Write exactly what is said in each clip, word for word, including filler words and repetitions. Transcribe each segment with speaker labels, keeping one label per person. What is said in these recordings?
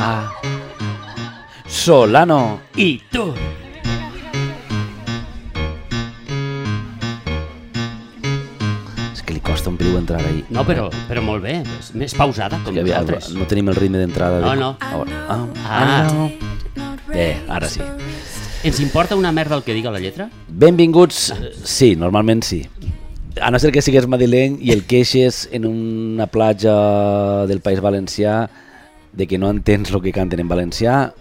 Speaker 1: a Solano
Speaker 2: i Tur.
Speaker 1: És que li costa un peliu entrar ahí.
Speaker 2: No, però, però molt bé, és més pausada, com
Speaker 1: que
Speaker 2: nosaltres.
Speaker 1: No tenim el ritme d'entrada.
Speaker 2: No,
Speaker 1: de...
Speaker 2: no.
Speaker 1: Ah,
Speaker 2: Ah.
Speaker 1: ah, no. Eh, ara sí.
Speaker 2: Ens importa una merda el que diga la lletra?
Speaker 1: Benvinguts, sí, normalment sí. A no ser que sigues madrileny i el queixes en una platja del País Valencià de que no entens el que canten en valencià,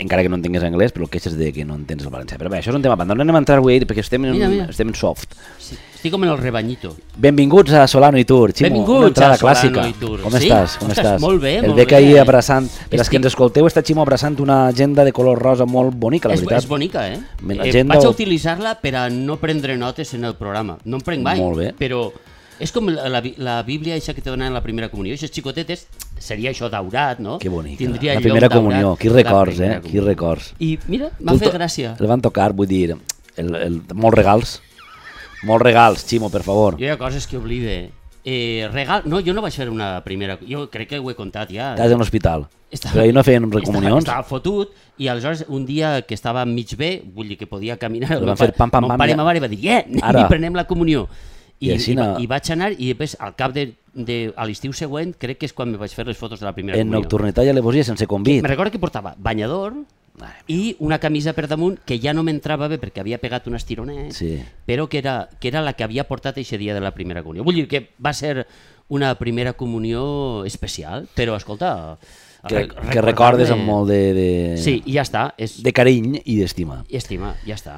Speaker 1: encara que no entengues anglès, però el queixes de que no entens el valencià. Però bé, això és un tema pendent. No anem a entrar avui perquè estem en,
Speaker 2: mira, mira.
Speaker 1: estem en soft.
Speaker 2: Sí, estic com en el rebanyito.
Speaker 1: Benvinguts a Solano i Tur, Ximo.
Speaker 2: Benvinguts
Speaker 1: una entrada
Speaker 2: a Solano
Speaker 1: clàssica.
Speaker 2: i Tur.
Speaker 1: Com
Speaker 2: Sí?
Speaker 1: estàs? Com
Speaker 2: Ostres,
Speaker 1: estàs?
Speaker 2: molt bé,
Speaker 1: el
Speaker 2: molt
Speaker 1: bec
Speaker 2: bé.
Speaker 1: ahir abraçant. Per als
Speaker 2: Estic-
Speaker 1: que ens escolteu, està Ximo abraçant una agenda de color rosa molt bonica, la
Speaker 2: És,
Speaker 1: veritat.
Speaker 2: és bonica, eh?
Speaker 1: Me-
Speaker 2: eh
Speaker 1: agenda
Speaker 2: vaig a
Speaker 1: o-
Speaker 2: utilitzar-la per a no prendre notes en el programa. No en prenc mai,
Speaker 1: Molt bé.
Speaker 2: però és com la, la, la Bíblia això que te donen en la primera comunió. Aquestes xicotetes seria això daurat, no?
Speaker 1: Que bonica.
Speaker 2: Tindria
Speaker 1: La
Speaker 2: el
Speaker 1: primera
Speaker 2: llom daurat.
Speaker 1: comunió. Qui
Speaker 2: La
Speaker 1: records,
Speaker 2: primera
Speaker 1: eh? Qui
Speaker 2: comunió.
Speaker 1: records.
Speaker 2: I mira, m'ha
Speaker 1: Tu
Speaker 2: fet
Speaker 1: to-
Speaker 2: gràcia.
Speaker 1: El van tocar, vull dir, el, el, molts regals. Molts regals, Ximo, per favor.
Speaker 2: Jo hi ha coses que oblide. Eh, regal... No, jo no vaig fer una primera... Jo crec que ho he contat ja.
Speaker 1: Estàs en l'hospital.
Speaker 2: Estava-
Speaker 1: Però ahir no feien
Speaker 2: Estava,
Speaker 1: recomunions.
Speaker 2: estava fotut i aleshores un dia que estava mig bé, vull dir que podia caminar,
Speaker 1: Li
Speaker 2: el
Speaker 1: van
Speaker 2: meu
Speaker 1: fer
Speaker 2: pare,
Speaker 1: pam, pam,
Speaker 2: mon
Speaker 1: pam,
Speaker 2: pare
Speaker 1: ja.
Speaker 2: i ma mare va dir, yeah,
Speaker 1: Ara.
Speaker 2: i prenem la comunió. I,
Speaker 1: I així
Speaker 2: i, va-
Speaker 1: no-
Speaker 2: i vaig anar i després al cap de, de a l'estiu següent crec que és quan me vaig fer les fotos de la primera
Speaker 1: En
Speaker 2: comunió.
Speaker 1: nocturnitat i alevosia sense convit.
Speaker 2: Me recordo que portava banyador i una camisa per damunt que ja no m'entrava bé perquè havia pegat un estironet,
Speaker 1: Sí.
Speaker 2: però que era, que era la que havia portat aquest dia de la primera comunió. Vull dir que va ser una primera comunió especial, però escolta...
Speaker 1: Que,
Speaker 2: rec-
Speaker 1: que recordes
Speaker 2: recordar-me-
Speaker 1: amb molt de, de,
Speaker 2: Sí, i ja està. És...
Speaker 1: de carinyo i d'estima.
Speaker 2: I estima, ja està.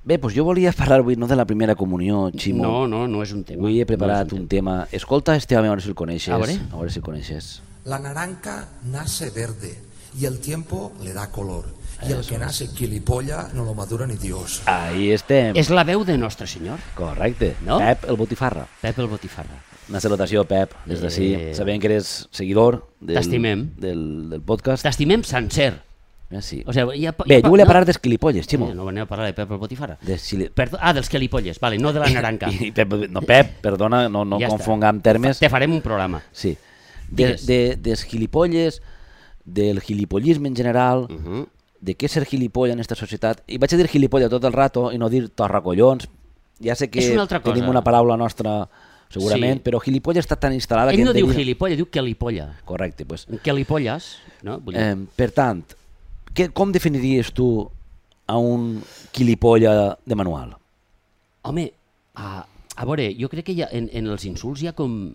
Speaker 1: Bé, doncs jo volia parlar avui no de la primera comunió, Ximo.
Speaker 2: No, no, no és un tema.
Speaker 1: Avui he preparat
Speaker 2: no és
Speaker 1: un tema. Escolta este home, a veure si el coneixes.
Speaker 2: A veure.
Speaker 1: A veure si el coneixes.
Speaker 3: La naranja nace verde y el tiempo le da color. Y el que nace quilipolla no lo madura ni Dios.
Speaker 1: Ahí estem.
Speaker 2: És la veu de Nostre Senyor,
Speaker 1: Correcte.
Speaker 2: No?
Speaker 1: Pep, el botifarra.
Speaker 2: Pep el Botifarra.
Speaker 1: Una salutació, Pep, des d'ací.
Speaker 2: Eh.
Speaker 1: Sabem que eres seguidor del,
Speaker 2: T'estimem.
Speaker 1: del, del podcast.
Speaker 2: T'estimem sencer.
Speaker 1: Ah, sí.
Speaker 2: O sigui, ja,
Speaker 1: Bé,
Speaker 2: ja,
Speaker 1: jo volia
Speaker 2: no?
Speaker 1: parlar dels quilipolles, Ximo.
Speaker 2: Eh, no venim a parlar de Pep el Botifarra.
Speaker 1: De xili...
Speaker 2: Perdo... Ah, dels quelipolles, vale, no de la naranja.
Speaker 1: I Pep, no, Pep, perdona, no, no
Speaker 2: Ja està.
Speaker 1: confongam termes.
Speaker 2: Te farem un programa.
Speaker 1: Sí. De,
Speaker 2: Digues.
Speaker 1: de, des gilipolles, del gilipollisme en general,
Speaker 2: Uh -huh.
Speaker 1: de què és ser gilipolla en aquesta societat. I vaig a dir gilipolla tot el rato i no dir torracollons. Ja sé que
Speaker 2: És una altra
Speaker 1: tenim
Speaker 2: cosa.
Speaker 1: una paraula nostra, segurament,
Speaker 2: Sí.
Speaker 1: però gilipolla està tan instal·lada
Speaker 2: Ell
Speaker 1: que...
Speaker 2: no
Speaker 1: hem de
Speaker 2: diu
Speaker 1: dir-
Speaker 2: gilipolla, diu quelipolla.
Speaker 1: Correcte, doncs.
Speaker 2: Quelipolles, no? Vull dir,
Speaker 1: Eh, per tant, què, com definiries tu a un gilipolla de manual?
Speaker 2: home, a, a veure, jo crec que hi ha, en, en els insults hi ha com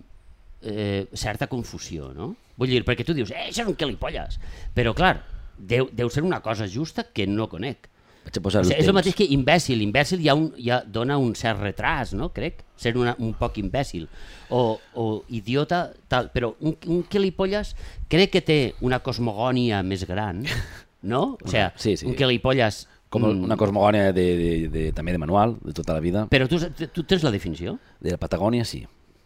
Speaker 2: eh, certa confusió, no? Vull dir, perquè tu dius, eh, això són quelipolles. Però, clar, deu, deu ser una cosa justa que no conec.
Speaker 1: Vaig a posar
Speaker 2: O
Speaker 1: el
Speaker 2: sigui, és el
Speaker 1: temps.
Speaker 2: mateix que imbècil. Imbècil ja, un, ja dona un cert retras, no? Crec, ser una, un poc imbècil. O, o idiota, tal. Però un, un quelipolles crec que té una cosmogònia més gran, no? O sigui,
Speaker 1: Sí, sí.
Speaker 2: un quelipolles...
Speaker 1: Com
Speaker 2: mm,
Speaker 1: una cosmogònia de, de, de, també de manual, de tota la vida.
Speaker 2: Però tu, tu tens la definició?
Speaker 1: De la Patagònia, sí.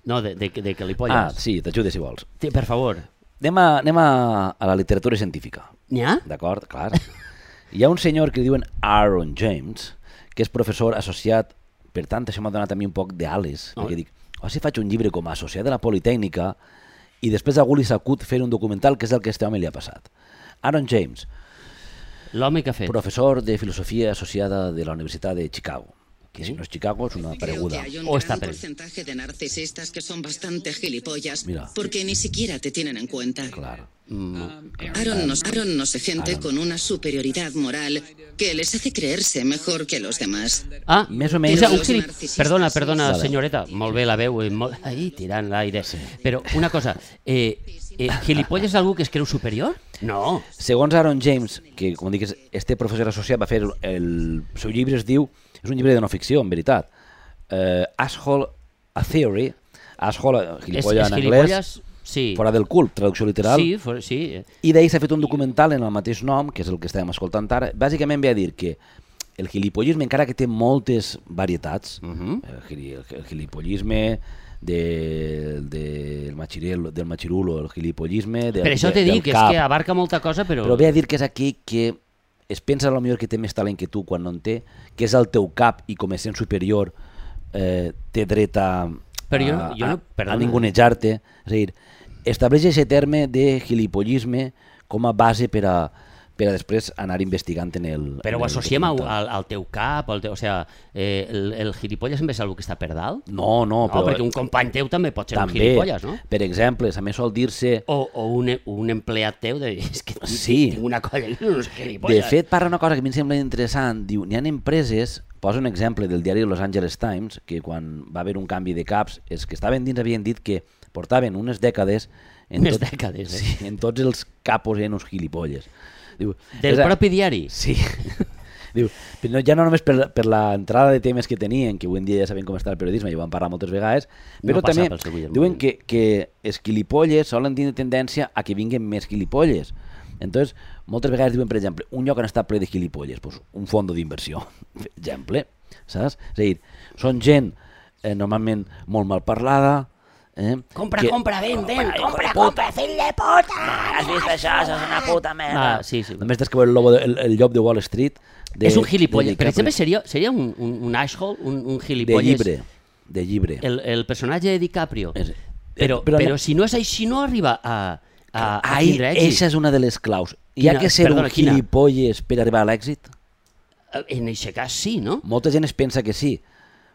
Speaker 2: No, de, de, de quelipolles.
Speaker 1: Ah, sí, t'ajude si vols.
Speaker 2: Sí, per favor.
Speaker 1: Anem a, anem a, a la literatura científica,
Speaker 2: N'hi ha?
Speaker 1: d'acord? Clar. Hi ha un senyor que li diuen Aaron James, que és professor associat, per tant, això m'ha donat a mi un poc d'ales,
Speaker 2: Oh.
Speaker 1: perquè dic, o si faig un llibre com a associat de la Politècnica i després algú li s'acut fer un documental, que és el que a este home li ha passat. Aaron James,
Speaker 2: L'home que ha fet.
Speaker 1: professor de filosofia associada de la Universitat de Chicago, que si no és Chicago és una
Speaker 4: Creo que
Speaker 1: pareguda.
Speaker 4: hay un
Speaker 2: O está
Speaker 4: gran
Speaker 2: per-
Speaker 4: porcentaje de narcisistas que son bastante gilipollas
Speaker 1: Mira.
Speaker 4: porque ni siquiera te tienen en cuenta.
Speaker 1: Clar.
Speaker 2: Mm,
Speaker 4: Aaron nos, Aaron nos gente con una superioridad moral que les hace creerse mejor que los demás.
Speaker 2: Ah,
Speaker 1: Més o menys-
Speaker 2: o sigui, un
Speaker 4: Los
Speaker 2: gilip...
Speaker 4: narcisistes
Speaker 2: Perdona,
Speaker 4: són-
Speaker 2: perdona,
Speaker 1: Vale.
Speaker 2: senyoreta, molt bé la veu, i molt... ahí, tirant l'aire. Però una cosa, eh, eh, gilipolles és algú que es creu superior? No.
Speaker 1: Segons Aaron James, que com dic, és- este professor associat va fer el, el seu llibre, es diu, és un llibre de no ficció, en veritat, uh, Asshole a Theory, Asshole, gilipolla
Speaker 2: és, és
Speaker 1: en anglès,
Speaker 2: gilipolles, sí.
Speaker 1: fora del cul, traducció literal,
Speaker 2: Sí, for, sí.
Speaker 1: i d'ahir s'ha fet un documental en el mateix nom, que és el que estàvem escoltant ara, bàsicament ve a dir que el gilipollisme, encara que té moltes varietats,
Speaker 2: Uh -huh.
Speaker 1: el, gili- el, el gilipollisme de, de, del, machirel, del machirulo, el gilipollisme del,
Speaker 2: Per això
Speaker 1: de,
Speaker 2: t'he
Speaker 1: del
Speaker 2: dit que és
Speaker 1: cap.
Speaker 2: que abarca molta cosa, però...
Speaker 1: Però ve a dir que és aquí que es pensa a lo millor que té més talent que tu quan no en té, que és el teu cap i com a sent superior eh, té dret a,
Speaker 2: Però jo-
Speaker 1: a,
Speaker 2: jo no-
Speaker 1: a,
Speaker 2: perdona.
Speaker 1: a ningunejar-te. És a dir, estableix aquest terme de gilipollisme com a base per a, per a després anar investigant en el
Speaker 2: Però
Speaker 1: en
Speaker 2: ho
Speaker 1: el
Speaker 2: associem al,
Speaker 1: documental.
Speaker 2: al teu cap, al teu, o sigui, eh, el, el gilipolles també és algú que està per dalt?
Speaker 1: No, no,
Speaker 2: No,
Speaker 1: però...
Speaker 2: perquè un company teu també pot ser
Speaker 1: també,
Speaker 2: un gilipolles, no?
Speaker 1: Per exemple, també sol dir-se...
Speaker 2: O, o un, un empleat teu de... És que
Speaker 1: Sí.
Speaker 2: tinc una colla que no és
Speaker 1: De
Speaker 2: gilipolles.
Speaker 1: fet, parla una cosa que a mi em sembla interessant. Diu, n'hi ha empreses, posa un exemple del diari Los Angeles Times, que quan va haver un canvi de caps, és que estaven dins, havien dit que portaven unes dècades... En
Speaker 2: Unes
Speaker 1: tot,
Speaker 2: dècades, eh?
Speaker 1: Sí, en tots els capos eren uns gilipolles. Diu,
Speaker 2: Del
Speaker 1: és a-
Speaker 2: propi diari?
Speaker 1: Sí. Diu, però no, ja no només per, per l'entrada de temes que tenien, que avui en dia ja sabem com està el periodisme, i ho vam parlar moltes vegades, però
Speaker 2: No passa
Speaker 1: també
Speaker 2: pel seu ull del
Speaker 1: diuen
Speaker 2: moment.
Speaker 1: que, que els gilipolles solen tenir tendència a que vinguen més gilipolles. Entonces, moltes vegades diuen, per exemple, un lloc on està ple de gilipolles, pues, un fondo d'inversió, per exemple, saps? És a dir, són gent eh, normalment molt mal parlada, eh?
Speaker 2: Compra,
Speaker 1: que-
Speaker 2: compra, ven, ven,
Speaker 1: Ai,
Speaker 2: compra,
Speaker 1: hijo de
Speaker 2: compra, fill de puta!
Speaker 1: Has vist això? Això és una puta merda.
Speaker 2: Ah, sí, sí.
Speaker 1: Només tens que veure el, lobo de, el, el llop de Wall Street. De,
Speaker 2: És un gilipolles.
Speaker 1: de
Speaker 2: Per
Speaker 1: DiCaprio.
Speaker 2: exemple, seria, seria un, un, un asshole, un, un
Speaker 1: De
Speaker 2: gilipolles.
Speaker 1: llibre. De llibre.
Speaker 2: El, el personatge de DiCaprio.
Speaker 1: És-
Speaker 2: Però,
Speaker 1: però
Speaker 2: però,
Speaker 1: no-
Speaker 2: si no és així, no arriba a, a, a
Speaker 1: Ai,
Speaker 2: tindre èxit.
Speaker 1: eixa és una de les claus. Hi ha
Speaker 2: Quina?
Speaker 1: que ser
Speaker 2: Perdona,
Speaker 1: un
Speaker 2: quina?
Speaker 1: gilipolles per arribar a l'èxit?
Speaker 2: En aquest cas sí, no?
Speaker 1: Molta gent es pensa que sí,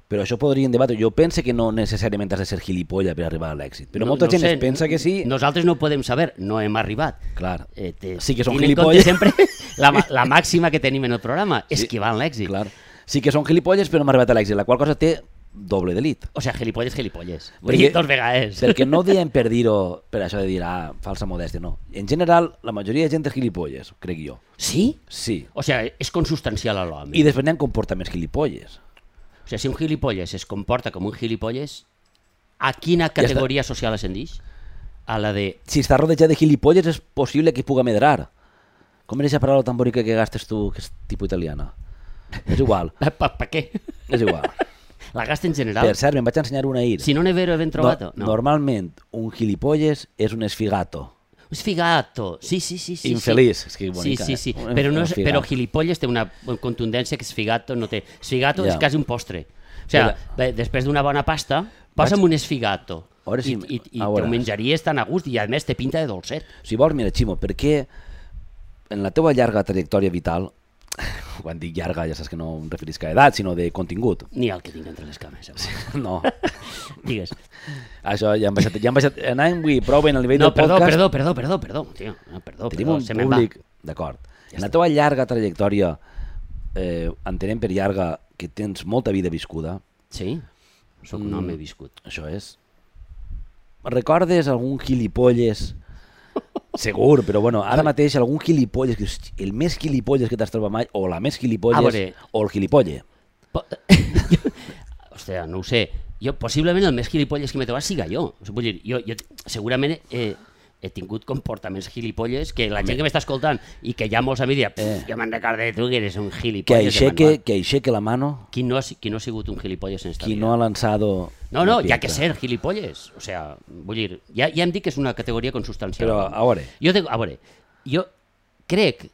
Speaker 1: però això podríem debatre. Jo penso que no necessàriament has de ser gilipolla per arribar a l'èxit, però
Speaker 2: No-
Speaker 1: molta
Speaker 2: no
Speaker 1: gent
Speaker 2: sé,
Speaker 1: es pensa que sí.
Speaker 2: Nosaltres no ho podem saber, no hem arribat.
Speaker 1: Clar,
Speaker 2: Eh, te-
Speaker 1: sí que són
Speaker 2: tenint en compte
Speaker 1: gilipolles.
Speaker 2: sempre la, ma- la màxima que tenim en el programa,
Speaker 1: Sí.
Speaker 2: esquivant l'èxit.
Speaker 1: Clar. Sí que són gilipolles, però no hem arribat a l'èxit, la qual cosa té doble delit.
Speaker 2: O sigui, gilipolles, gilipolles. Vull
Speaker 1: Perquè-
Speaker 2: dir, dos vegades.
Speaker 1: Perquè no ho diem per dir-ho, per això de dir, ah, falsa modèstia, no. En general, la majoria de gent és gilipolles, crec jo.
Speaker 2: Sí?
Speaker 1: Sí.
Speaker 2: O sigui, és consubstancial a l'home.
Speaker 1: I després n'hi ha comportaments gilipolles.
Speaker 2: O sigui, si un gilipolles es comporta com un gilipolles, a quina categoria social ascendix? A la de...
Speaker 1: Si està rodejat de gilipolles és possible que puga medrar. Com era aquesta paraula tan bonica que gastes tu, que és tipus italiana? És igual,
Speaker 2: Per pa, pa què?
Speaker 1: és igual.
Speaker 2: La gasta en general?
Speaker 1: Per cert, me'n vaig ensenyar una ahir.
Speaker 2: Si non è vero, ben trovato?
Speaker 1: No,
Speaker 2: No.
Speaker 1: Normalment, un gilipolles és un esfigato.
Speaker 2: Un sfigato, sí, sí, sí. sí
Speaker 1: Infeliç,
Speaker 2: sí.
Speaker 1: és que
Speaker 2: Sí,
Speaker 1: bonica,
Speaker 2: sí,
Speaker 1: eh?
Speaker 2: sí.
Speaker 1: Un-
Speaker 2: Però, no
Speaker 1: un
Speaker 2: és,
Speaker 1: sfigato.
Speaker 2: però gilipolles té una contundència que sfigato no té. Sfigato
Speaker 1: Ja.
Speaker 2: és quasi un postre. O sigui, bé, després d'una bona pasta, posa'm un esfigato.
Speaker 1: A veure si-
Speaker 2: I, i, i
Speaker 1: a
Speaker 2: te
Speaker 1: veure.
Speaker 2: ho menjaries tan a gust i a més té pinta de dolcet.
Speaker 1: Si vols, mira, Ximo, per què en la teva llarga trajectòria vital, quan dic llarga ja saps que no em referisc a edat, sinó de contingut.
Speaker 2: Ni el que tinc entre les cames.
Speaker 1: No,
Speaker 2: Digues.
Speaker 1: això ja hem baixat, ja hem baixat, anem avui prou bé en el nivell
Speaker 2: No,
Speaker 1: del
Speaker 2: perdó,
Speaker 1: podcast.
Speaker 2: perdó, perdó, perdó, perdó, tio. No, perdó,
Speaker 1: Tenim
Speaker 2: perdó,
Speaker 1: un
Speaker 2: se me'n va.
Speaker 1: públic, d'acord. En la teva llarga trajectòria, eh, entenem per llarga que tens molta vida viscuda,
Speaker 2: Sí, sóc un home viscut.
Speaker 1: això és. Recordes algun gilipolles? Segur, però bueno, ara mateix algun gilipolles, que és el més gilipolles que t'has trobat mai, o la més
Speaker 2: A
Speaker 1: gilipolles,
Speaker 2: veure.
Speaker 1: o el gilipolle.
Speaker 2: Po- Hòstia, no ho sé. Jo, possiblement el més gilipolles que m'he trobat siga jo. O sigui, vull dir, jo, jo segurament he, he tingut comportaments gilipolles que la gent que m'està escoltant i que ja molts amics diuen,
Speaker 1: Eh.
Speaker 2: jo me'n recordo de tu que eres un
Speaker 1: Que
Speaker 2: gilipolles de
Speaker 1: aixeque,
Speaker 2: manual.
Speaker 1: que aixeque la mano,
Speaker 2: Qui no, ha, si- qui no ha sigut un gilipolles en esta
Speaker 1: qui
Speaker 2: vida?
Speaker 1: no ha lanzado...
Speaker 2: No, no,
Speaker 1: una
Speaker 2: hi ha que
Speaker 1: piedra.
Speaker 2: ser gilipolles. O sea, vull dir, ja, ja hem dit que és una categoria consubstancial.
Speaker 1: Però, a veure.
Speaker 2: Jo, te, a veure, jo crec...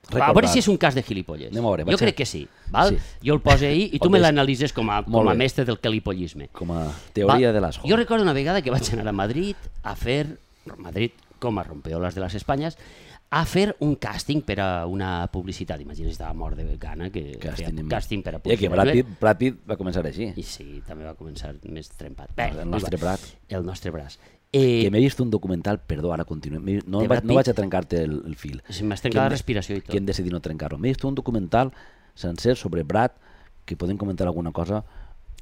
Speaker 2: A
Speaker 1: Recordar.
Speaker 2: veure si és un cas de gilipolles.
Speaker 1: Anem a veure,
Speaker 2: jo
Speaker 1: vaig a-
Speaker 2: crec que sí. Val?
Speaker 1: Sí.
Speaker 2: Jo el poso ahí i tu
Speaker 1: Pot
Speaker 2: me
Speaker 1: des-
Speaker 2: l'analitzes com a,
Speaker 1: Molt
Speaker 2: com a
Speaker 1: bé.
Speaker 2: mestre del calipollisme.
Speaker 1: Com a teoria
Speaker 2: Va,
Speaker 1: de l'asco.
Speaker 2: Jo recordo una vegada que vaig anar a Madrid a fer, Madrid com a rompeolas de les Espanyes, a fer un càsting per a una publicitat. Imagina, estava mort de gana que
Speaker 1: Càsting,
Speaker 2: feia càsting per a
Speaker 1: I que
Speaker 2: publicitat.
Speaker 1: Brad Pitt, Brad Pitt va començar així.
Speaker 2: I sí, també va començar més trempat. Bé,
Speaker 1: El nostre
Speaker 2: igual.
Speaker 1: Brad.
Speaker 2: El nostre braç. Eh,
Speaker 1: Que m'he vist un documental, perdó, ara continuem, m'he- no,
Speaker 2: De
Speaker 1: vaig,
Speaker 2: Brad
Speaker 1: no vaig
Speaker 2: Pitt?
Speaker 1: a trencar-te el, el fil.
Speaker 2: Si m'has
Speaker 1: Que
Speaker 2: trencat la
Speaker 1: hem de-
Speaker 2: respiració i tot.
Speaker 1: Que hem decidit no trencar-ho. M'he vist un documental sencer sobre Brad, que podem comentar alguna cosa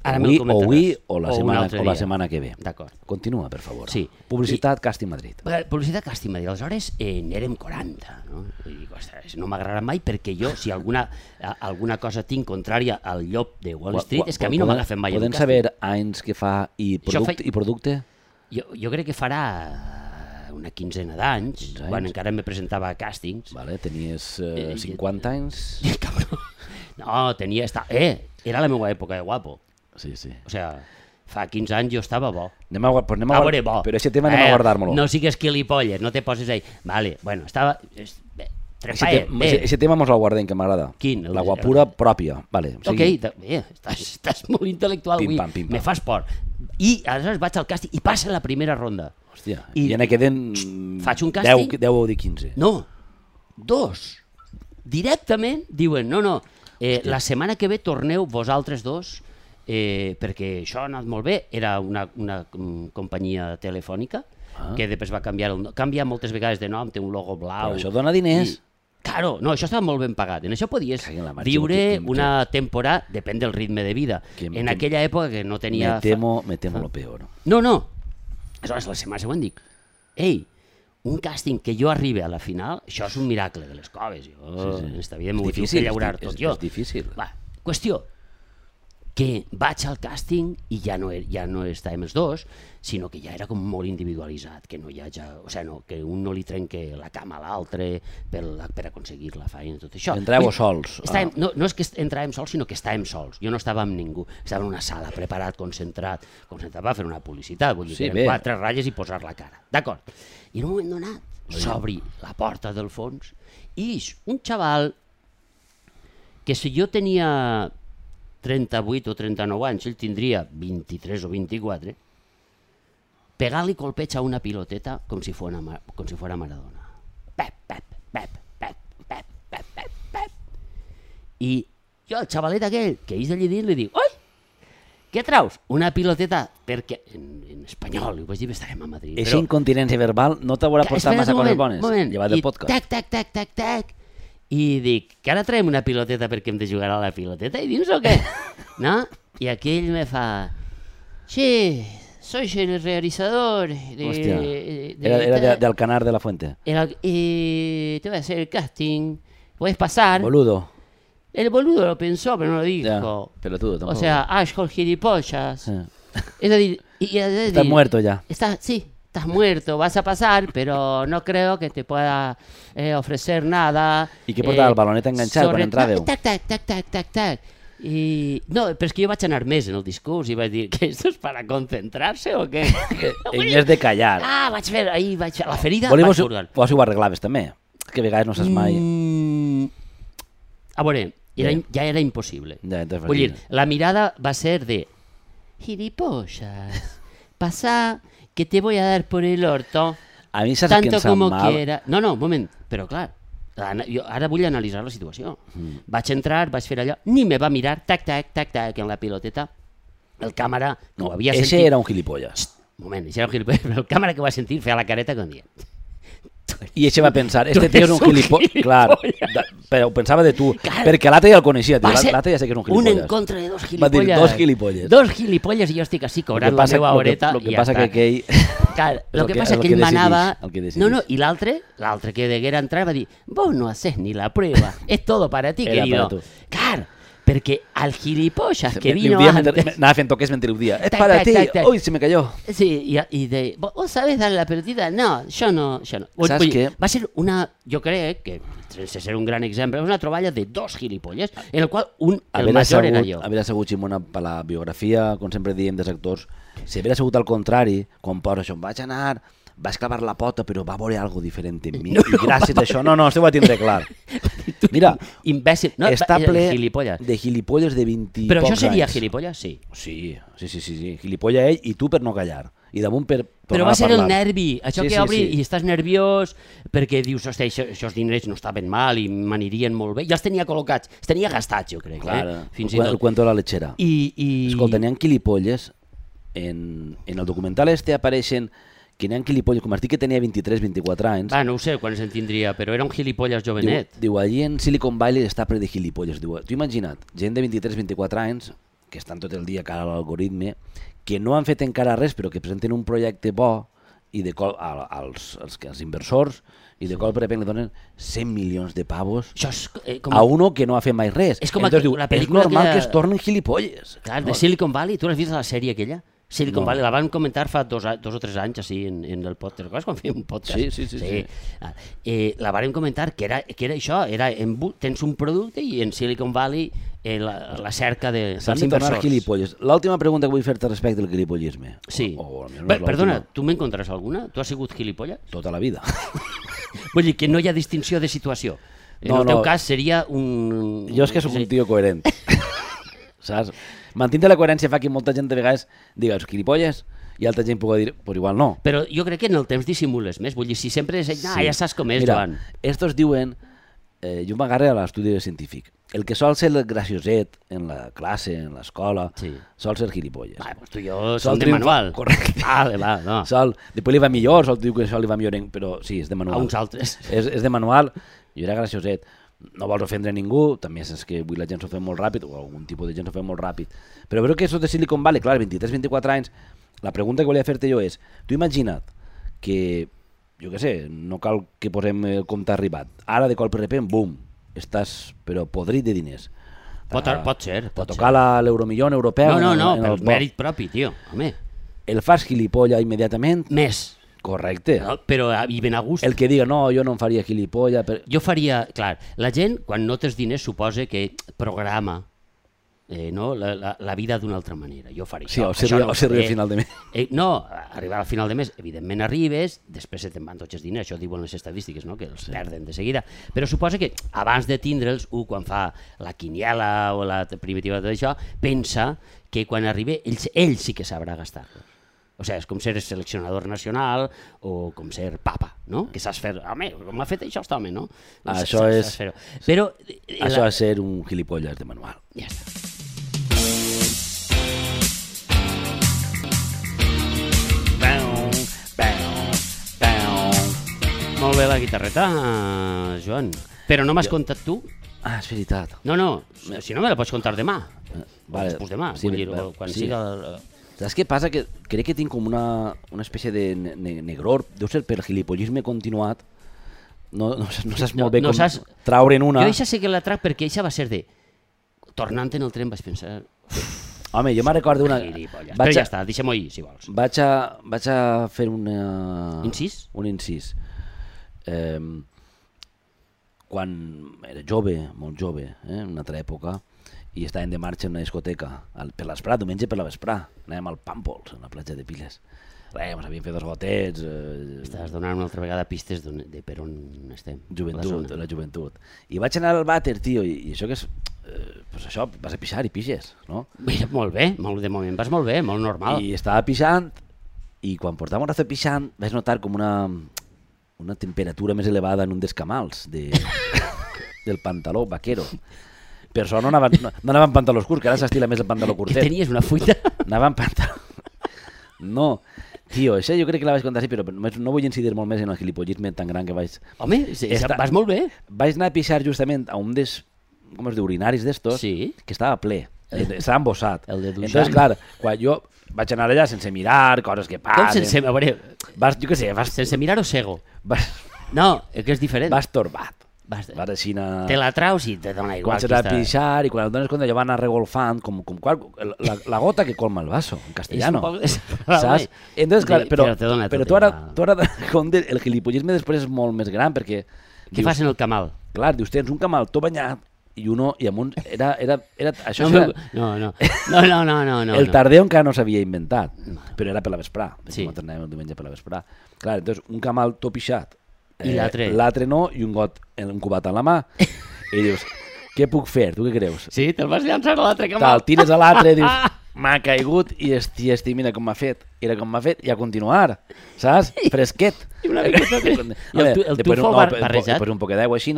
Speaker 2: Ara me'l
Speaker 1: avui, o
Speaker 2: comentaràs.
Speaker 1: avui o la,
Speaker 2: O un
Speaker 1: setmana,
Speaker 2: altre
Speaker 1: o la
Speaker 2: dia.
Speaker 1: setmana que ve.
Speaker 2: D'acord.
Speaker 1: Continua, per favor.
Speaker 2: Sí.
Speaker 1: Publicitat, Càsting Madrid.
Speaker 2: Bé, publicitat càsting, va dir, aleshores eh, n'érem quaranta, no? I dic, ostres, no m'agradarà mai perquè jo, si alguna, a, alguna cosa tinc contrària al llop de Wall Street, és que a mi no
Speaker 1: Podem-
Speaker 2: m'agafen mai en un
Speaker 1: Podem
Speaker 2: càsting.
Speaker 1: saber anys que fa i
Speaker 2: Això
Speaker 1: producte?
Speaker 2: fa-
Speaker 1: I producte?
Speaker 2: Jo, jo crec que farà una quinzena d'anys,
Speaker 1: quinze anys.
Speaker 2: quan encara me presentava a càstings.
Speaker 1: Vale, tenies eh,
Speaker 2: Eh,
Speaker 1: cinquanta anys?
Speaker 2: Cabró. No, tenia... Esta... Eh, era la meva època de guapo.
Speaker 1: Sí, sí.
Speaker 2: O sea, fa quinze anys jo estava bo.
Speaker 1: Anem a, guard- pues anem a,
Speaker 2: A
Speaker 1: guard-
Speaker 2: veure, bo.
Speaker 1: Però aquest tema anem a guardar-lo.
Speaker 2: No sigues gilipolles, no te poses ahí. Vale, bueno, estava... es- bé,
Speaker 1: Aquest tema mos el guardem, que m'agrada.
Speaker 2: Quin?
Speaker 1: La guapura pròpia. Vale,
Speaker 2: ok, bé, estàs, estàs molt intel·lectual avui.
Speaker 1: Pim, pam, pim, pam.
Speaker 2: Me fas por. I aleshores vaig al càsting i passa la primera ronda.
Speaker 1: Hòstia, i, i ja ne queden
Speaker 2: faig un càsting,
Speaker 1: deu o quinze.
Speaker 2: No, dos. Directament diuen, no, no, eh, la setmana que ve torneu vosaltres dos, eh, perquè això ha anat molt bé. Era una, una um, companyia telefònica ah. que després va canviar, el, canvia moltes vegades de nom, té un logo blau.
Speaker 1: Però això dona diners.
Speaker 2: I, claro, no, això estava molt ben pagat. En això podies
Speaker 1: marxa,
Speaker 2: viure
Speaker 1: que, que,
Speaker 2: una temporada, depèn del ritme de vida. Que, en que, aquella època que no tenia...
Speaker 1: Me temo, me temo lo peor.
Speaker 2: No, no. Aleshores, la setmana següent dic, ei, un càsting que jo arribi a la final, això és un miracle de les coves. Jo, sí, sí. En esta vida m'ho vull fer llaurar tot
Speaker 1: és,
Speaker 2: jo.
Speaker 1: És difícil.
Speaker 2: Va, qüestió, que vaig al càsting i ja no, ja no estàvem els dos, sinó que ja era com molt individualitzat, que no hi ha ja, o sigui, no, que un no li trenque la cama a l'altre per, per aconseguir la feina, tot això.
Speaker 1: Entràveu sols.
Speaker 2: Estàvem, no, no és que entràvem sols, sinó que estàvem sols. Jo no estava amb ningú, estava en una sala, preparat, concentrat, concentrat per fer una publicitat, vull dir, sí, que eren quatre ratlles i posar la cara. D'acord. I en un moment donat, s'obri la porta del fons i ix un xaval que si jo tenia trenta-vuit o trenta-nou anys, ell tindria vint-i-tres o vint-i-quatre, pegar-li colpeig a una piloteta com si fos com si fos Maradona. Pep, pep, pep, pep, pep, pep, pep, pep. I jo al xavalet aquell que ix d'allí dins li dic, oi, què traus? Una piloteta, perquè en, en espanyol, ho vaig dir, estarem a Madrid.
Speaker 1: Eixa incontinència verbal no t'haurà portat massa coses bones, llevat del podcast.
Speaker 2: Tac, tac, tac, tac, tac. I dic, que ara traiem una piloteta perquè hem de jugar a la piloteta i dins o què? No? I aquell me fa, sí, soy el realizador de...
Speaker 1: Hòstia,
Speaker 2: de,
Speaker 1: era, era de, del Canar de la Fuente.
Speaker 2: Era, eh, te voy a hacer el casting, puedes pasar.
Speaker 1: Boludo.
Speaker 2: El boludo lo pensó, pero no lo dijo.
Speaker 1: Ya, pelotudo tampoco.
Speaker 2: O sea, Ashhole gilipollas. Sí. Es decir, y, y, es decir,
Speaker 1: estás muerto ya.
Speaker 2: Está, sí. Estás muerto, vas a pasar, pero no creo que te pueda eh, ofrecer nada.
Speaker 1: ¿Y qué portava eh, el baloneta enganxat sobre... quan entràveu?
Speaker 2: Tac, tac, tac, tac, tac, tac. I... No, però és que jo vaig anar més en el discurs i vaig dir que esto es para concentrarse o què?
Speaker 1: En vez de callar.
Speaker 2: Ah, vaig fer, ahí vaig fer la ferida.
Speaker 1: Volem vos, vos ho arreglaves també, que a vegades no saps mai.
Speaker 2: Mm... A veure, era, ja era impossible.
Speaker 1: Ja,
Speaker 2: vull dir, la mirada va ser de gilipollas, passar... que te voy a dar por el orto,
Speaker 1: a mi saps
Speaker 2: tanto
Speaker 1: que
Speaker 2: como
Speaker 1: mal.
Speaker 2: quiera. No, no, un moment, però clar, jo ara vull analitzar la situació. Mm. Vaig entrar, vaig fer allò, ni me va mirar, tac, tac, tac, tac, en la piloteta. El càmera que
Speaker 1: no,
Speaker 2: ho havia
Speaker 1: sentit...
Speaker 2: sentit...
Speaker 1: Ese era un gilipollas.
Speaker 2: Un moment, ese era un gilipollas, però el càmera que ho va sentir feia la careta com dient...
Speaker 1: I ese va pensar, este tío és un gilipollas. Clar, però ho pensava de tu, claro, perquè l'altre ja el coneixia, l'altre ja sé que és un gilipollas.
Speaker 2: Un en contra de dos gilipollas.
Speaker 1: Va dir dos gilipollas.
Speaker 2: Dos gilipollas i jo estic així cobrant la meva horeta.
Speaker 1: Lo que passa que aquell...
Speaker 2: Claro, lo que pasa es que él manaba... No, no, y l'altre, l'altre que deguera entrar va dir, vos no haces ni la prueba, es todo para ti,
Speaker 1: Era
Speaker 2: querido.
Speaker 1: Para tu.
Speaker 2: Claro, perquè al gilipollas que vino
Speaker 1: día
Speaker 2: antes...
Speaker 1: Anava fent toques mentre ho dia. Es
Speaker 2: tac,
Speaker 1: para
Speaker 2: tac,
Speaker 1: ti.
Speaker 2: Tac, tac.
Speaker 1: Uy, se me cayó.
Speaker 2: Sí, y, y de... ¿Vos sabés darle la pelotita? No, yo no. Yo no.
Speaker 1: ¿Sabes
Speaker 2: Oye,
Speaker 1: qué?
Speaker 2: va ser una... Jo crec que, sense ser un gran exemple, una troballa de dos gilipolles, en el qual un, el major era jo.
Speaker 1: Haver assegut, Ximona, per la biografia, com sempre diem dels actors, si haver assegut al contrari, quan posa això, vaig anar... vaig clavar la pota, però va veure algo diferent en mi. No, I gràcies no, a això... No, no, això ho va tindre clar. Mira,
Speaker 2: imbècil. No,
Speaker 1: està ple
Speaker 2: gilipolles.
Speaker 1: de gilipolles de vint i
Speaker 2: però
Speaker 1: pocs anys.
Speaker 2: Però això seria gilipolles? Sí.
Speaker 1: Sí, sí, sí, sí, sí. Gilipolles ell i tu per no callar. I damunt per tornar a parlar.
Speaker 2: Però va ser el nervi, això
Speaker 1: sí,
Speaker 2: que
Speaker 1: sí,
Speaker 2: obri
Speaker 1: sí.
Speaker 2: i estàs nerviós perquè dius, hòstia, això, això diners no estaven mal i m'anirien molt bé. Ja els tenia col·locats, els tenia gastats, jo crec.
Speaker 1: Clar,
Speaker 2: eh?
Speaker 1: Fins el, i tot. El cuento de la lechera.
Speaker 2: I, i...
Speaker 1: Escolta, n'hi ha gilipolles, en, en el documental este apareixen que n'hi ha gilipolles, com has dit que tenia vint-i-tres vint-i-quatre anys.
Speaker 2: Ah, no ho sé quants en tindria, però era un gilipolles jovenet.
Speaker 1: Diu, diu allí en Silicon Valley està ple de gilipolles. Diu, tu imagina't, gent de vint-i-tres vint-i-quatre anys, que estan tot el dia cara a l'algoritme, que no han fet encara res, però que presenten un projecte bo i de col, a, als, als, als inversors, i de col per repente li donen cent milions de pavos
Speaker 2: és, eh, com...
Speaker 1: a uno que no ha fet mai res.
Speaker 2: És com
Speaker 1: Entonces,
Speaker 2: aqu...
Speaker 1: diu,
Speaker 2: la
Speaker 1: és normal
Speaker 2: aquella...
Speaker 1: que es tornen gilipolles.
Speaker 2: Clar,
Speaker 1: no?
Speaker 2: de Silicon Valley, tu l'has vist a la sèrie aquella? Silicon
Speaker 1: No.
Speaker 2: Valley, la van comentar fa dos, dos o tres anys així en, en el podcast. Recordes quan fèiem un podcast?
Speaker 1: Sí, sí, sí, sí.
Speaker 2: Ah, eh, la van comentar que era, que era això, era en, tens un producte i en Silicon Valley eh, la, la cerca de,
Speaker 1: S'han
Speaker 2: dels
Speaker 1: de tornar
Speaker 2: inversors.
Speaker 1: gilipolles. L'última pregunta que vull fer-te respecte al gilipollisme.
Speaker 2: Sí.
Speaker 1: O, o,
Speaker 2: Bé, perdona, tu m'encontraràs alguna? Tu has sigut gilipolles?
Speaker 1: Tota la vida.
Speaker 2: Vull dir que no hi ha distinció de situació. En
Speaker 1: No,
Speaker 2: el teu
Speaker 1: no.
Speaker 2: cas seria un...
Speaker 1: Jo és que sóc un tio coherent. Saps? Mantindre la coherència fa que molta gent de vegades diga, és gilipolles, i altra gent pugui dir, pues igual no.
Speaker 2: Però jo crec que en el temps dissimules més. Vull dir, si sempre és... Ah, ja saps com és,
Speaker 1: Mira,
Speaker 2: Joan.
Speaker 1: estos diuen, eh, jo m'agarre a l'estudi científic, el que sol ser el gracioset en la classe, en l'escola,
Speaker 2: Sí.
Speaker 1: sol ser gilipolles.
Speaker 2: Va, pues tu i jo
Speaker 1: Sol
Speaker 2: som de
Speaker 1: triomfar-
Speaker 2: manual.
Speaker 1: Correcte.
Speaker 2: Vale, va, no.
Speaker 1: Sol, després li va millor, sol diu que això li va millor, en- però sí, és de manual.
Speaker 2: A uns altres.
Speaker 1: És, és de manual, jo era gracioset. No vols ofendre ningú, també és que avui la gent s'ho fa molt ràpid, o algun tipus de gent s'ho fa molt ràpid. Però veure que això de Silicon Valley, clar, vint-i-tres vint-i-quatre anys, la pregunta que volia fer-te jo és, tu imagina't que, jo què sé, no cal que posem el compte arribat, ara de colp de repent, bum, estàs però podrit de diners.
Speaker 2: Pot,
Speaker 1: Ah,
Speaker 2: pot ser, pot
Speaker 1: tocar la- l'euromillón europeu.
Speaker 2: No, no,
Speaker 1: en-
Speaker 2: no,
Speaker 1: en
Speaker 2: per
Speaker 1: el bo.
Speaker 2: mèrit propi, tio. Home,
Speaker 1: El fas gilipolla immediatament?
Speaker 2: més.
Speaker 1: Correcte.
Speaker 2: No? Però ah, i ben a gust.
Speaker 1: El que diga, no, jo no em faria gilipolla... Per...
Speaker 2: Jo faria... Clar, la gent, quan no tens diners, suposa que programa eh, no? la, la, la vida d'una altra manera. Jo faria
Speaker 1: Sí,
Speaker 2: això.
Speaker 1: o se
Speaker 2: això
Speaker 1: arriba-
Speaker 2: no ho
Speaker 1: o se arriba
Speaker 2: faré.
Speaker 1: a final de mes.
Speaker 2: Eh, no, arribar al final de mes, evidentment arribes, després se te'n van tots els diners, això diuen les estadístiques, no? Que els sí. perden de seguida. Però suposa que abans de tindre'ls, un quan fa la quiniela o la primitiva de tot això, pensa que quan arribi, ell, ell sí que sabrà gastar-los. O sigui, és com ser seleccionador nacional o com ser papa, no? Que saps fer... Home, com ha fet això aquest home, no?
Speaker 1: Ah,
Speaker 2: Saps-
Speaker 1: això
Speaker 2: saps
Speaker 1: és-
Speaker 2: fer-ho. Però... eh,
Speaker 1: Això
Speaker 2: la-
Speaker 1: és ser un gilipolles de manual.
Speaker 2: Ja està. Molt bé la guitarreta, Joan. Però no m'has contat tu?
Speaker 1: Ah, és veritat.
Speaker 2: No, no, si no me la pots contar demà.
Speaker 1: Vale.
Speaker 2: Després demà,
Speaker 1: Sí,
Speaker 2: vull dir,
Speaker 1: va-
Speaker 2: o quan
Speaker 1: sí.
Speaker 2: siga... el-
Speaker 1: Saps què passa? Que crec que tinc com una, una espècie de ne ne negror, deu ser per gilipollisme continuat, no, no, saps- no saps
Speaker 2: No,
Speaker 1: molt bé
Speaker 2: no
Speaker 1: com
Speaker 2: saps-
Speaker 1: traure'n una.
Speaker 2: Jo això sé que la trac perquè això va ser de... Tornant en el tren vaig pensar...
Speaker 1: Home, jo me'n recordo una...
Speaker 2: Gilipolles. Però
Speaker 1: Vaig
Speaker 2: ja
Speaker 1: a,
Speaker 2: està, deixem-ho ahir, si vols.
Speaker 1: vaig, a, vaig a fer una...
Speaker 2: Incís?
Speaker 1: Un incís. Eh, quan era jove, molt jove, eh, en una altra època, i estàvem de marxa en una discoteca al, per l'esprà, diumenge per la vesprà, anàvem al Pàmpols, a la platja de Piles. Res, ens havíem fet dos gotets, eh,
Speaker 2: Estàs donant una altra vegada pistes d'on- de per on estem.
Speaker 1: joventut,
Speaker 2: La zona.
Speaker 1: la joventut. I vaig anar al vàter, tio, i, i això que és... Eh, pues això, vas a pixar i pixes, no?
Speaker 2: Mira, molt bé, molt, de moment vas molt bé, molt normal.
Speaker 1: I estava pixant, i quan portava un rato pixant, vaig notar com una, una temperatura més elevada en un dels camals de, del pantaló vaquero. Per això no anava, no, no anava en pantaló curt, que ara s'estila més el pantaló
Speaker 2: Que
Speaker 1: curtet.
Speaker 2: tenies una fuita.
Speaker 1: Anava en pantaló... No, tio, això jo crec que la vaig contar així, però només no vull incidir molt més en el gilipollisme tan gran que vaig...
Speaker 2: Home, sí,
Speaker 1: Esta-
Speaker 2: vas molt bé.
Speaker 1: Vaig anar a pixar justament a un dels, com es diu, urinaris d'estos,
Speaker 2: Sí.
Speaker 1: que estava ple, eh, estava embossat.
Speaker 2: El de Duchamp.
Speaker 1: Entonces, clar, quan jo vaig anar allà sense mirar, coses que
Speaker 2: Com
Speaker 1: passen...
Speaker 2: sense, a veure,
Speaker 1: Vas, jo què sé, vas,
Speaker 2: sense mirar o cego?
Speaker 1: vas,
Speaker 2: No, és que és diferent.
Speaker 1: vas torbat.
Speaker 2: Vas,
Speaker 1: Vas així anar...
Speaker 2: te la traus i te dona igual.
Speaker 1: Comences
Speaker 2: qui
Speaker 1: a
Speaker 2: està-
Speaker 1: pixar i quan et dones compte ja va anar regolfant com, com qual, la, la gota que colma el vaso, en castellano.
Speaker 2: És un poc-
Speaker 1: Saps? Entonces, clar,
Speaker 2: Sí,
Speaker 1: però,
Speaker 2: però te dona
Speaker 1: però
Speaker 2: tot
Speaker 1: tu ara,
Speaker 2: igual.
Speaker 1: tu ara com de, el gilipollisme després és molt més gran perquè...
Speaker 2: Què fas en el camal?
Speaker 1: Clar, dius, tens un camal tot banyat i uno, i amb un... Era, era, era, això
Speaker 2: No,
Speaker 1: era,
Speaker 2: no, no, no, no, no, no, no.
Speaker 1: el tardeu encara no s'havia inventat, però era per la vesprà,
Speaker 2: Sí.
Speaker 1: sí. Nosaltres anàvem el diumenge per la vesprà. Clar, entonces, un camal tot pixat,
Speaker 2: I l'altre?
Speaker 1: l'altre no, i un got, un cubat a la mà, i dius, què puc fer? Tu què creus?
Speaker 2: Sí, te'l vas llançar a l'altre camal.
Speaker 1: Te'l tires a l'altre i dius, m'ha caigut i esti, esti, mira com m'ha fet, era com m'ha fet, i a continuar, saps? Fresquet.
Speaker 2: I una miqueta de- I el tu- el
Speaker 1: Després
Speaker 2: tufo
Speaker 1: un-
Speaker 2: bar-
Speaker 1: no,
Speaker 2: barrejat?
Speaker 1: Després un poquet d'aigua així,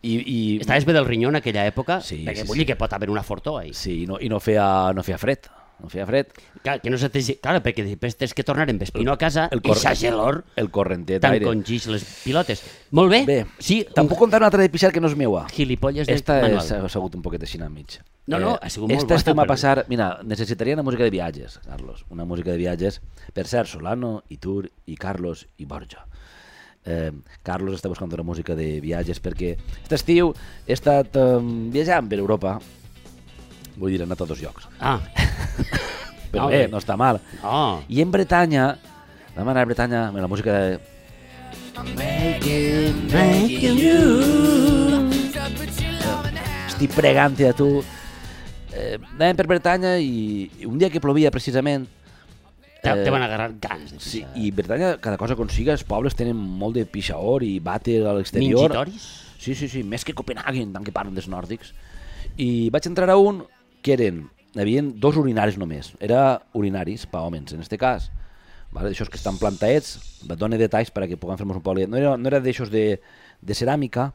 Speaker 1: i, i,
Speaker 2: Estaves bé del rinyó en aquella època?
Speaker 1: Sí,
Speaker 2: perquè
Speaker 1: sí,
Speaker 2: vull dir
Speaker 1: sí.
Speaker 2: que pot haver una fortó ahí.
Speaker 1: sí, i no, i no feia, no feia fred, no feia fred.
Speaker 2: Clar, que no se te... Clar, perquè després tens que tornar amb espino a casa
Speaker 1: El
Speaker 2: i
Speaker 1: cor-
Speaker 2: sa gelor
Speaker 1: El correntet
Speaker 2: tant
Speaker 1: aire.
Speaker 2: congix les pilotes. Molt bé.
Speaker 1: Bé,
Speaker 2: Sí,
Speaker 1: te'n puc contar una altra de pixar que no és meua.
Speaker 2: gilipolles de
Speaker 1: Esta
Speaker 2: manual.
Speaker 1: és, ha sigut un poquet així a mig.
Speaker 2: No, no, ha sigut molt
Speaker 1: esta
Speaker 2: bona,
Speaker 1: estem a
Speaker 2: però-
Speaker 1: passar... Mira, necessitaria una música de viatges, Carlos. Una música de viatges. Per cert, Solano, Itur i Carlos i Borja. Eh, Carlos està buscant una música de viatges perquè aquest estiu he estat eh, viatjant per Europa. Vull dir, he anat a dos llocs.
Speaker 2: Ah,
Speaker 1: Però
Speaker 2: No,
Speaker 1: bé,
Speaker 2: bé.
Speaker 1: no està mal.
Speaker 2: no.
Speaker 1: I en Bretanya, vam anar a Bretanya amb la música de... Estic pregant-te a tu. Eh, anàvem per Bretanya i, i un dia que plovia precisament
Speaker 2: te,
Speaker 1: Eh,
Speaker 2: te van agarrar ganes de
Speaker 1: Sí,
Speaker 2: pixar.
Speaker 1: i Bretanya, cada cosa que consiga, els pobles tenen molt de pixaor i vàter a l'exterior.
Speaker 2: Mingitoris?
Speaker 1: Sí, sí, sí, més que Copenhagen, tant que parlen dels nòrdics. I vaig entrar a un que eren, hi havia dos urinaris només, era urinaris per homes, en este cas, vale? D'aixòs que estan plantaets, et dono detalls perquè puguem fer-nos un poble. No era, no era d'aixòs de, de ceràmica,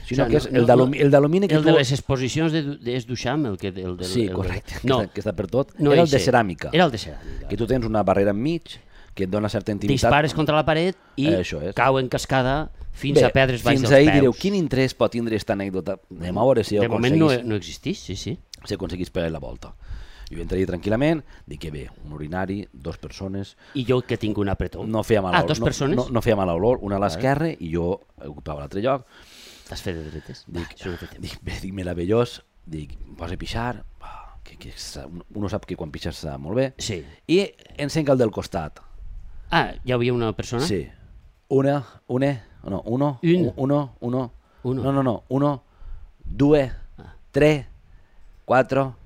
Speaker 1: sinó
Speaker 2: O sigui,
Speaker 1: que és
Speaker 2: no-
Speaker 1: el
Speaker 2: no-
Speaker 1: d'alumi- el d'alumini que
Speaker 2: El
Speaker 1: tu...
Speaker 2: de les exposicions de, de és Duchamp, el que... El del,
Speaker 1: Sí,
Speaker 2: el
Speaker 1: correcte, que,
Speaker 2: no,
Speaker 1: està, que està per tot.
Speaker 2: no
Speaker 1: era el de
Speaker 2: eixe.
Speaker 1: ceràmica,
Speaker 2: Era el de ceràmica.
Speaker 1: que tu tens una barrera enmig que et dona certa intimitat.
Speaker 2: Dispares contra la paret i
Speaker 1: Això és.
Speaker 2: cau en cascada fins
Speaker 1: Bé,
Speaker 2: a perdre's baix
Speaker 1: fins
Speaker 2: dels
Speaker 1: ahir
Speaker 2: peus.
Speaker 1: direu, quin interès pot tindre aquesta anècdota? Anem a veure si
Speaker 2: De moment no,
Speaker 1: aconseguís,
Speaker 2: no existeix, sí, sí.
Speaker 1: si aconseguís pegar la volta. Jo entraria tranquil·lament, dic que bé, un urinari, dos persones,
Speaker 2: I jo que tinc un apretó.
Speaker 1: no feia mala
Speaker 2: Ah,
Speaker 1: olor,
Speaker 2: dos persones?
Speaker 1: no, no, no feia mala olor, una a l'esquerra i jo ocupava l'altre lloc.
Speaker 2: T'has fet de dretes? Dic, això no té temps.
Speaker 1: Dic, bé, dic, meravellós, dic, posa a pixar, ah, que, que sa- uno sap que quan pixes està molt bé,
Speaker 2: Sí.
Speaker 1: i encenc el del costat.
Speaker 2: Ah, hi havia una persona?
Speaker 1: Sí. Una, una, no, uno,
Speaker 2: Un.
Speaker 1: uno, uno,
Speaker 2: Uno.
Speaker 1: no, no, no, uno, due, tre, quattro,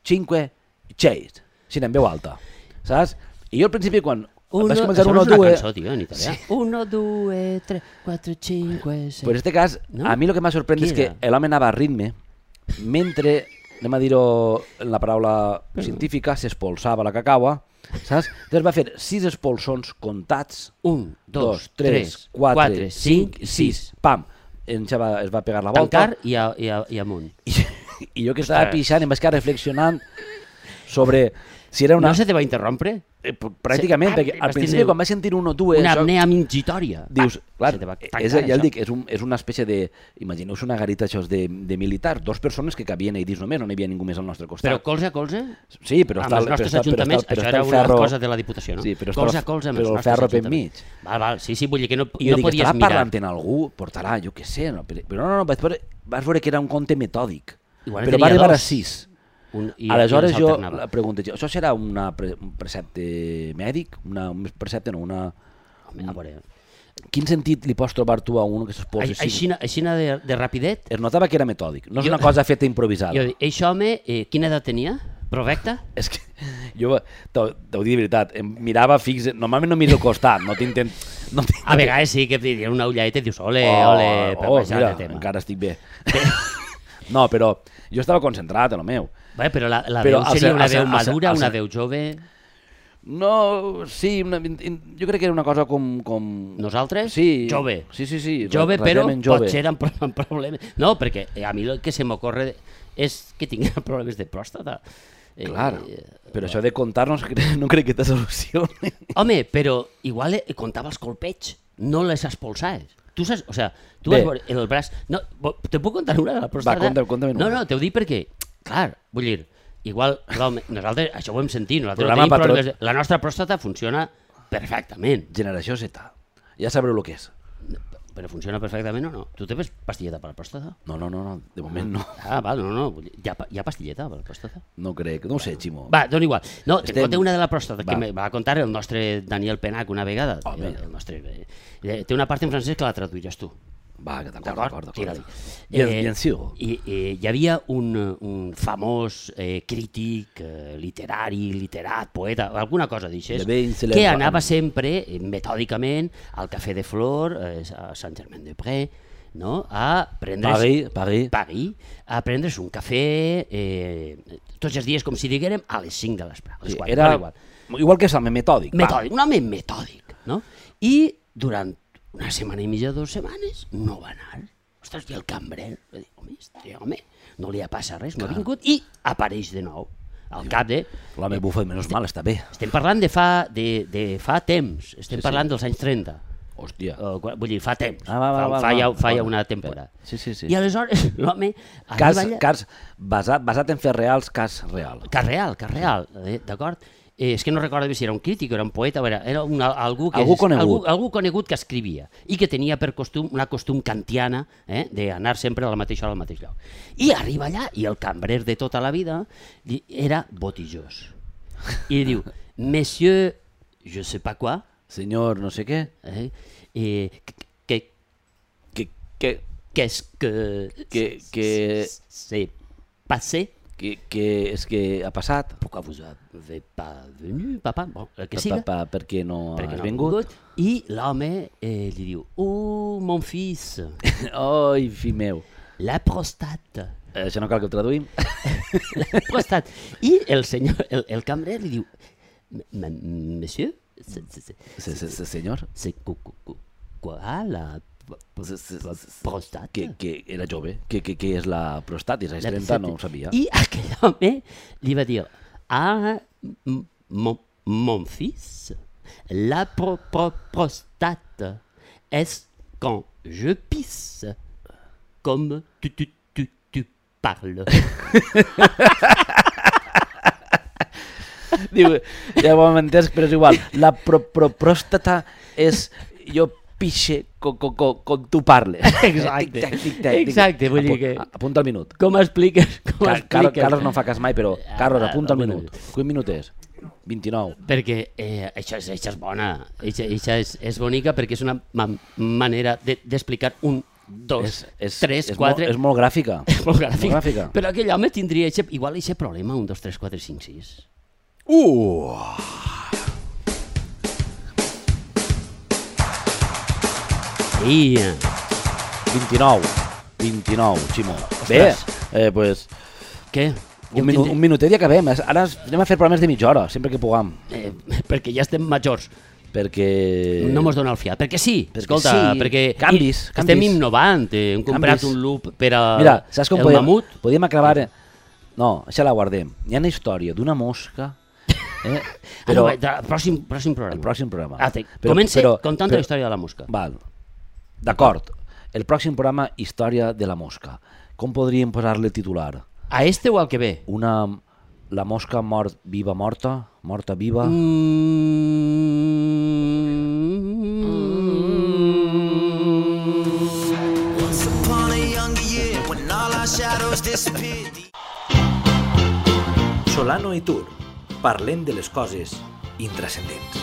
Speaker 1: cinque, sei. Sí, en veu alta, saps? I jo al principi quan
Speaker 2: Uno,
Speaker 1: vaig començar
Speaker 2: això
Speaker 1: uno,
Speaker 2: no és una
Speaker 1: due...
Speaker 2: cançó, tio, en italià. Sí. Uno, due, tre, quatre, cinque, sei.
Speaker 1: Pues en este cas,
Speaker 2: No?
Speaker 1: a mi el que m'ha sorprès
Speaker 2: Qui
Speaker 1: és que
Speaker 2: era?
Speaker 1: l'home anava a ritme, mentre, anem a dir-ho en la paraula científica, s'espolsava la cacaua, saps? Llavors va fer sis espolsons comptats,
Speaker 2: Un, dos,
Speaker 1: dos, tres, quatre,
Speaker 2: quatre,
Speaker 1: cinc,
Speaker 2: cinc,
Speaker 1: sis, pam, en ja va, es va pegar la volta.
Speaker 2: Tancar i, a, i, a, i amunt.
Speaker 1: I, i jo que estava pixant em vaig quedar reflexionant sobre si era una...
Speaker 2: No se te va interrompre?
Speaker 1: Eh, pr- pràcticament,
Speaker 2: Sí,
Speaker 1: perquè
Speaker 2: ah,
Speaker 1: al
Speaker 2: vas
Speaker 1: principi
Speaker 2: tindre
Speaker 1: quan vaig sentir un o dues...
Speaker 2: Una
Speaker 1: això-
Speaker 2: apnea mingitòria.
Speaker 1: Dius,
Speaker 2: Ah,
Speaker 1: clar,
Speaker 2: se te va
Speaker 1: és,
Speaker 2: tancar,
Speaker 1: ja el
Speaker 2: això.
Speaker 1: dic, és, un, és una espècie de... Imagineu-vos una garita això de, de militar, dos persones que cabien ahí dins només, no n'hi havia ningú més al nostre costat.
Speaker 2: Però colze a colze?
Speaker 1: Sí, però
Speaker 2: amb
Speaker 1: està,
Speaker 2: els
Speaker 1: però
Speaker 2: nostres
Speaker 1: està, però
Speaker 2: ajuntaments,
Speaker 1: està, però
Speaker 2: això
Speaker 1: està
Speaker 2: era
Speaker 1: el
Speaker 2: una
Speaker 1: ferro...
Speaker 2: cosa de la Diputació, no?
Speaker 1: Sí, però està
Speaker 2: colze
Speaker 1: el-
Speaker 2: a colze amb
Speaker 1: però
Speaker 2: els
Speaker 1: el
Speaker 2: nostres
Speaker 1: ferro per
Speaker 2: ajuntaments.
Speaker 1: mig.
Speaker 2: Val, val, sí, sí, vull dir que no,
Speaker 1: I jo
Speaker 2: no
Speaker 1: dic,
Speaker 2: podies
Speaker 1: estarà
Speaker 2: mirar.
Speaker 1: parlant en algú? Portarà, jo què sé, no? però, però no, no, vaig veure, vas veure que era un conte metòdic,
Speaker 2: Igual en
Speaker 1: però
Speaker 2: tenia
Speaker 1: va arribar
Speaker 2: dos.
Speaker 1: a sis.
Speaker 2: Un, i,
Speaker 1: Aleshores
Speaker 2: i
Speaker 1: jo
Speaker 2: s'alternava.
Speaker 1: la pregunto, això serà una pre, un precepte mèdic? Una, un precepte, no, una...
Speaker 2: Home, a veure,
Speaker 1: Quin sentit li pots trobar tu a un que s'esposa
Speaker 2: ai- aixina, aixina de, de rapidet,
Speaker 1: Es notava que era metòdic, no és
Speaker 2: Jo-
Speaker 1: una cosa feta improvisada.
Speaker 2: jo dic, eixe home, eh, quina edat tenia? Provecta?
Speaker 1: És que jo t'ho t'ho dic de veritat, em mirava fix, normalment no miro al costat, no t'intent... No tinc-
Speaker 2: A vegades sí que et diuen una ulladeta i dius, ole,
Speaker 1: Oh,
Speaker 2: ole, per
Speaker 1: oh,
Speaker 2: baixar
Speaker 1: mira,
Speaker 2: de tema.
Speaker 1: encara estic bé. No, però jo estava concentrat en el meu.
Speaker 2: Bé, però la, la
Speaker 1: Però
Speaker 2: veu
Speaker 1: al
Speaker 2: seria
Speaker 1: ser-
Speaker 2: una
Speaker 1: al ser-
Speaker 2: veu
Speaker 1: al ser-
Speaker 2: madura,
Speaker 1: al
Speaker 2: una
Speaker 1: ser-
Speaker 2: veu jove.
Speaker 1: No, sí, una, in- jo crec que era una cosa com... com...
Speaker 2: Nosaltres?
Speaker 1: Sí.
Speaker 2: Jove.
Speaker 1: Sí, sí, sí.
Speaker 2: Jove, però
Speaker 1: relativament jove.
Speaker 2: pot ser amb, pro- amb problemes. No, perquè a mi el que se m'ocorre és que tinguin problemes de pròstata. Eh,
Speaker 1: Clar,
Speaker 2: eh,
Speaker 1: però això de contar-nos no crec que te solucioni.
Speaker 2: Home, però igual eh, comptava els colpets, no les espolsaves. Tu saps, o sea, tu
Speaker 1: Bé.
Speaker 2: vas veure el braç... No, bo- te puc contar una de la pròstata?
Speaker 1: conta- conta'm
Speaker 2: No,
Speaker 1: una.
Speaker 2: no, t'ho dic perquè, clar, vull dir, igual l'home, nosaltres, això ho hem sentit, nosaltres no
Speaker 1: Programa
Speaker 2: tenim
Speaker 1: patró-
Speaker 2: problemes, la nostra pròstata funciona perfectament,
Speaker 1: Generació Z. Ja sabreu el que és.
Speaker 2: però funciona perfectament o no? Tu te ves pastilleta per la pròstata?
Speaker 1: No, no, no, no, de moment no.
Speaker 2: Ah, val, no, no, vull dir, hi ha, pa- hi ha pastilleta per la pròstata?
Speaker 1: No crec, no ho sé, Ximo.
Speaker 2: Va, dona igual. No, te
Speaker 1: Estem-
Speaker 2: conté una de la pròstata que
Speaker 1: Va.
Speaker 2: me va contar el nostre Daniel Penac una vegada.
Speaker 1: Home.
Speaker 2: El, el nostre, eh, té una part en francès que la traduiràs tu.
Speaker 1: Va, que d'acord,
Speaker 2: D'acord?
Speaker 1: d'acord,
Speaker 2: Tira-li.
Speaker 1: d'acord. Bien, bien sûr.
Speaker 2: I, eh, hi havia un, un famós eh, crític, eh, literari, literat, poeta, alguna cosa d'aixes,
Speaker 1: Le ben célèbre.
Speaker 2: que anava sempre, eh, metòdicament, al Cafè de Flor, eh, a Saint-Germain-des-Prés, no? a prendre's...
Speaker 1: Paris, Paris.
Speaker 2: Paris, a prendre's un cafè eh, tots els dies, com si diguérem, a les cinc de l'espre. a les
Speaker 1: Sí,
Speaker 2: quatre,
Speaker 1: era
Speaker 2: igual.
Speaker 1: igual que Salme, metòdic. va.
Speaker 2: Metòdic, un home metòdic, no? I durant una setmana i mitja, dues setmanes, no va anar. Ostres, i el cambrer, va dir, home, este home, no li ha passat res, no ha vingut, i apareix de nou. Al cap de...
Speaker 1: L'home bufa, menys mal, està bé.
Speaker 2: Estem parlant de fa, de, de fa temps, estem
Speaker 1: Sí, sí.
Speaker 2: parlant dels anys trenta.
Speaker 1: Hòstia.
Speaker 2: Uh, vull dir, fa temps,
Speaker 1: Ah, va, va,
Speaker 2: fa,
Speaker 1: va,
Speaker 2: fa,
Speaker 1: va,
Speaker 2: ja, fa
Speaker 1: va.
Speaker 2: ja una temporada.
Speaker 1: Sí, sí, sí.
Speaker 2: I aleshores l'home
Speaker 1: Cas,
Speaker 2: arriba allà...
Speaker 1: cas basat, basat en fets reals, cas real.
Speaker 2: Cas real, cas real, eh, d'acord? Eh, és que no recordo bé si era un crític o era un poeta, o era, era un, algú, que
Speaker 1: Algú
Speaker 2: és-
Speaker 1: conegut.
Speaker 2: Algú, algú conegut que escrivia i que tenia per costum una costum kantiana eh, d'anar sempre a la mateixa hora al mateix lloc. I arriba allà i el cambrer de tota la vida li- era botijós. I li diu, monsieur, je sais pas quoi,
Speaker 1: Senyor, no sé què,
Speaker 2: eh, eh, que,
Speaker 1: que, que,
Speaker 2: qu'est-ce que,
Speaker 1: que, que,
Speaker 2: c'est passé,
Speaker 1: Què és que ha passat?
Speaker 2: Pourquoi vous avez pas venu, papa? Bon, el que siga.
Speaker 1: Papa, per què no
Speaker 2: perquè
Speaker 1: has
Speaker 2: no ha
Speaker 1: vingut?
Speaker 2: I l'home eh, li diu, oh, mon fils,
Speaker 1: Oi, fill meu.
Speaker 2: la prostate.
Speaker 1: Eh, Això no cal que ho traduïm?
Speaker 2: La prostate. I el senyor, el, el cambrer li diu, "M- monsieur, c'est- c'est-
Speaker 1: Sí, sí, sí, senyor.
Speaker 2: c'est quoi, quoi, quoi, la
Speaker 1: Sí, sí, sí, sí.
Speaker 2: prostate?
Speaker 1: Que, que era jove. Què que, que és la prostatis? Als trenta no ho sabia.
Speaker 2: I aquell home li va dir, ah, m- mon, mon fils, la pro, pro, prostate est quand je pisse, comme tu, tu, tu, tu parles.
Speaker 1: Diu, ja ho hem entès, però és igual. La pro, pro, pròstata és... Jo pixe con, con, con, con tu parles.
Speaker 2: Exacte.
Speaker 1: Tic-tac, tic-tac, tic-tac.
Speaker 2: Exacte, vull dir
Speaker 1: Apu-
Speaker 2: que-
Speaker 1: Apunta el minut.
Speaker 2: Com expliques? Com
Speaker 1: Car Car
Speaker 2: expliques?
Speaker 1: Carlos no fa cas mai, però... Carlos,
Speaker 2: Ah,
Speaker 1: apunta el
Speaker 2: bueno.
Speaker 1: minut. Quin minut és? vint-i-nou.
Speaker 2: Perquè eh, això, és, això és bona, això, això és, és bonica perquè és una ma manera d'explicar de, un, dos,
Speaker 1: És, és,
Speaker 2: tres,
Speaker 1: és
Speaker 2: quatre...
Speaker 1: Molt, és molt gràfica.
Speaker 2: És molt gràfic.
Speaker 1: Molt gràfica.
Speaker 2: Però aquell home tindria eixe, igual aquest problema, un, dos, tres, quatre, cinc, sis.
Speaker 1: Uh!
Speaker 2: I...
Speaker 1: vint-i-nou. vint-i-nou, Ximo. Bé, eh, pues,
Speaker 2: Què?
Speaker 1: un, minut, un minutet i acabem. Ara anem a fer programes de mitja hora, sempre que puguem.
Speaker 2: Eh, perquè ja estem majors.
Speaker 1: Perquè...
Speaker 2: No mos dona el fiat. Perquè sí,
Speaker 1: Perquè
Speaker 2: escolta,
Speaker 1: sí,
Speaker 2: perquè
Speaker 1: canvis,
Speaker 2: i, estem
Speaker 1: canvis.
Speaker 2: innovant. Eh, hem comprat
Speaker 1: Canvis.
Speaker 2: un loop per a
Speaker 1: Mira, saps com
Speaker 2: el
Speaker 1: podem,
Speaker 2: mamut.
Speaker 1: podem acabar... No, això la guardem. Hi ha una història d'una mosca... Eh?
Speaker 2: Però,
Speaker 1: Però
Speaker 2: ah, no, pròxim, pròxim programa.
Speaker 1: el pròxim programa.
Speaker 2: Ah, te,
Speaker 1: Però-
Speaker 2: comença
Speaker 1: però-
Speaker 2: contant
Speaker 1: però-
Speaker 2: la història de la mosca.
Speaker 1: Val. D'acord. El pròxim programa, història de la mosca. Com podríem posar-li el titular?
Speaker 2: A este o al que ve?
Speaker 1: Una... La mosca mort, viva, morta? Morta, viva?
Speaker 5: Once upon a younger year, when all our shadows disappeared.
Speaker 6: Solano i Tur. Parlem de les coses intrascendents.